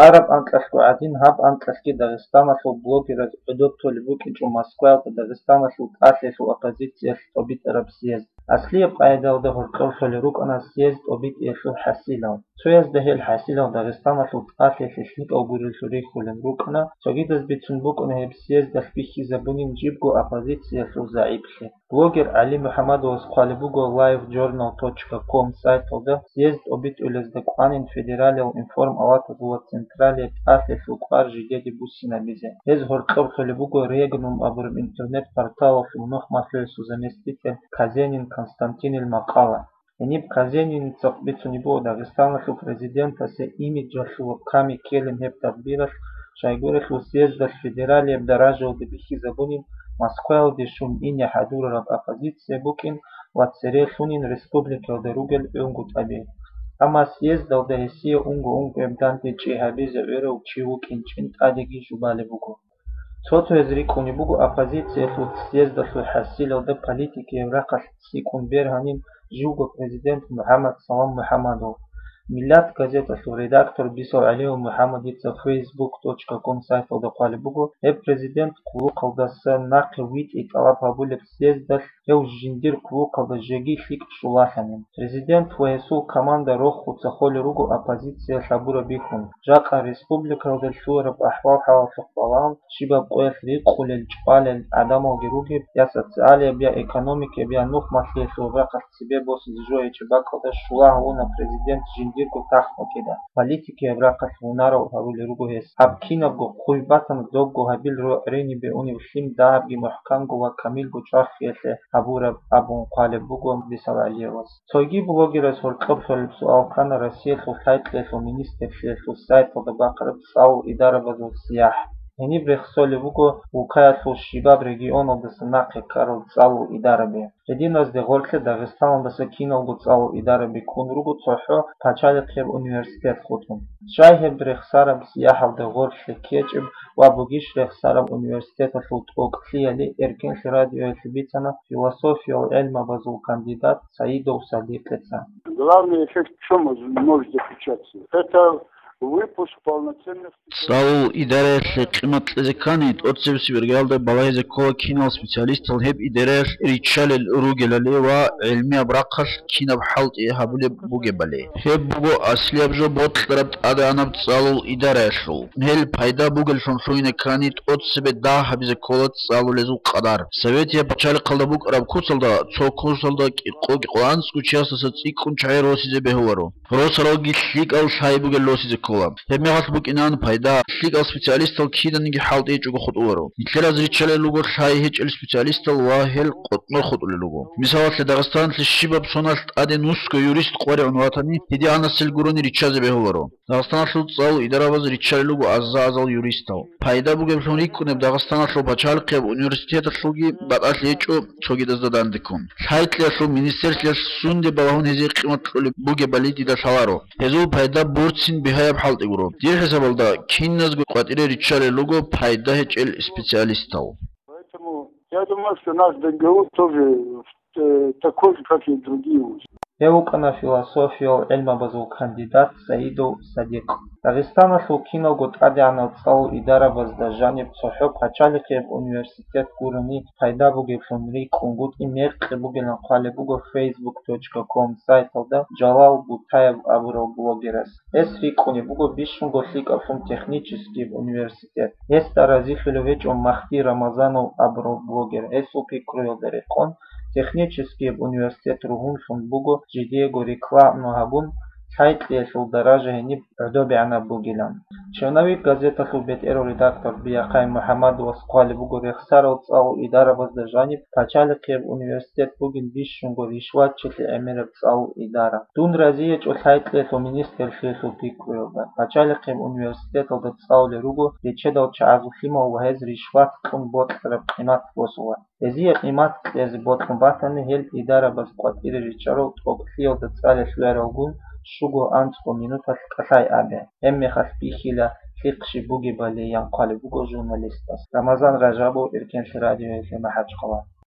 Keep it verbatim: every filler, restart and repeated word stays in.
Араб анкьалъго гӀадин, гьаб анкьалъги Дагъистаналъул блогераз гӀодоб толеб букӀинчӀо Москваялда Дагъистаналъул тӀалъиялъул оппозициялъ тӀобитӀараб съезд. Аслияб къагӀидаялда гьоркьор лъолел рукӀана съезд тӀобитӀиялъул хӀасилал. Цоязда гьел хӀасилал Дагъистаналъул тӀалъиялъе лъикӀал гуреллъун рихьулел рукӀана, цогидаз бицун букӀана гьеб съездалъ бихьизабунин жибго оппозициялъул загӀиплъи. Блогер ГӀали МухӀамадовас хъвалеб буго live journal точка com сайталда, съезд тӀобитӀулезда кӀванин федералиял информалатазул ва централияб тӀалъиялъул кӀвар жидеде буссинабизе. Гьез гьоркьор лъолеб буго Регнум абураб интернет-порталалъул нухмалъугӀасул заместитель Казенин Константинил макъала. Гьениб Казениница бицунеб буго Дагъистаналъул президентасе имиджалъулаб ками ккелин гьеб тадбиралъ, щайгурелъул съездалъ федералияб даражаялда бихьизабунин Москваялде щун ине хӀадурараб оппозиция букӀин ва цере лъунин республикаялда ругел гӀунгутӀаби. Амма съездалда гьесие унго-унгояб дандечӀи гьабизе гӀурав чи вукӀинчӀин тӀадеги жубалеб буго. Цо-цояз рикӀкӀунеб буго оппозициялъул съездалъул хӀасилалда политикияб рахъалъ цӀикӀкӀун бергьанин живго президент МухӀаммад Салам МухӀаммадов. Миллат газеталъул редактор Бисал ГӀалиев МухӀаммадица фейсбук точка ком сайталда хъвалеб буго, гьеб президент хъулухъалдаса нахъе витӀи тӀалаб гьабулеб съездалъ гьев жиндир хъулухъалда жеги лъикӀ щулалъанин. Президент ва гьесул команда рохуца холел руго оппозиция лъабураб бихьун. Жакъа республикаялда лъугьараб ахӀвал-хӀалалъухъ балагьун, щибаб къоялъ рикъулел, чӀвалел гӀадамалги ругеб, я социалияб, я экономикияб, я нухмалъиялъул рахъалъ цебе босизе жо гьечӀеб бакӀалда щула гьавуна президент жиндирго тахт букӀида. Политикияб рахъалъ гьунарал гьарулел руго гьес. Гьаб кинабго хъуй батана, добго гьабил рогӀрени бегьунеб лъим дагьабги мухӀканго ва камилго чӀвахиялъе гьабураб абун хъвалеб буго Бисал ГӀалиевас. Цойги блогераз гьоркьоб лъолеб суал ккана Россиялъул лъай-кьеялъул министрлъиялъул сайталда бахъараб цӀалул идарабазул сияхӀ. Гьениб рехсолеб буго Улкаялъул щибаб регионалдаса нахъе ккарал цӀалул идараби. Гьединазде гъорлъе Дагъистаналдаса киналго цӀалул идараби ккун руго цохӀо пачалихъияб университет хутӀун. Щай гьеб рехсараб сияхӀалда гъорлъе ккечӀеб ва бугищ рехсараб университеталъул тӀокӀлъиялъе, Эркенлъи радиоялъе бицана философиял гӀелмабазул кандидат Саидов Садикъица. Главный эффект в чём может заключаться? Это выпуск полноценных специалистов. ЦӀалул идараялъе къимат кьезе ккани, тӀоцебесеб иргаялда балагьизе ккола кинал специалистал гьеб идараялъ риччалел ругелали ва гӀелмияб рахъалъ кинаб хӀалтӀи гьабулеб бугебали. Гьеб буго аслияб жо бокьараб тӀадегӀанаб цӀалул идараялъул. Гьел пайда бугеллъун лъугьине ккани, тӀоцебе дагь гьабизе ккола цӀалулезул къадар. Советияб пачалихъалда букӀараб куцалда, цо курсалда кӀикъо-кӀикъоанцӀго чиясдаса цӀикӀкӀун чагӀи росизе бегьуларо. Росаралги лъикӀал лъай бугел росизе ккола. Гьебмехалъ букӀинан пайда, лъикӀал специалистал киданиги хӀалтӀи гьечӀого хутӀуларо. Нилъер риччалел руго лъай гьечӀел специалистал ва гьел къотӀнор хутӀулел руго. Мисалалъе, Дагъистаналъе щибаб соналъ тӀаде нусго юрист къваригӀун ватани, гьедигӀанасел гурони риччазе бегьуларо. Дагъистаналъул цӀалул идарабаз риччалел руго аза-азал юристал. Пайда бугеблъун рикӀкӀунеб Дагъистаналъул пачалихъияб университеталъулги батӀалъи гьечӀо цогидазда дандеккун. Лъай-кьеялъул министрлъиялъ сунде балагьун гьезие къимат кьолеб бугебали дида лъаларо. Гьезул пайда борцин бигьаяб хӀалтӀи гуро. Дир хӀисабалда, киназго къватӀире риччалел руго пайда гьечӀел специалистал. Поэтому я думаю, что наш ДГУ тоже, э, такой же, как и другие вузы. Гьев вукӀана философиял гӀелмабазул кандидат Саидов Садикъ. Дагъистаналъул киналго тӀадегӀанал цӀалул идарабазда жаниб цохӀо пачалихъияб университет гурони пайда бугеблъун рикӀкӀунгутӀи мекъи бугилан хъвалеб буго фейсбук точка ком сайталда Жалал Бутаев абурав блогерас. Гьес рикӀкӀунеб буго бищунго лъикӀаблъун техническияб университет. Гьесда разилъулев гьечӀо Махди Рамазанов абурав блогер. Гьесул пикруялда рекъон, техническияб университет ругьунлъун буго жидеего рекламу гьабун, лъай-кьеялъул даража гьениб гӀодобегӀанаб бугилан. Черновик газеталъул бетӀерав редактор Биахъай МухӀамадовас хъвалеб буго рехсарал цӀалул идарабазда жаниб пачалихъияб университет бугин бищунго ришватчилъи гӀемераб цӀалул идара. Дун разиячӀо лъай-кьеялъул министрлъиялъул пикруялда. Пачалихъияб университеталда цӀалулел руго речедал чагӀазул лъимал ва гьез ришват кьун бокьараб къимат босула. Гьезие къимат кьезе бокьун батани, гьел идарабаз къватӀире риччарал тӀокӀлъиялда цӀалиялъ вегӀралгун щуго анцӀго минуталъ кӀалъай абе. Гьебмехалъ бихьила лъихъ щиб бугебали, ян хъвалеб буго журналистас. Рамазан Ражабов, Эркенлъи радиоялъе, МахӀачхъала.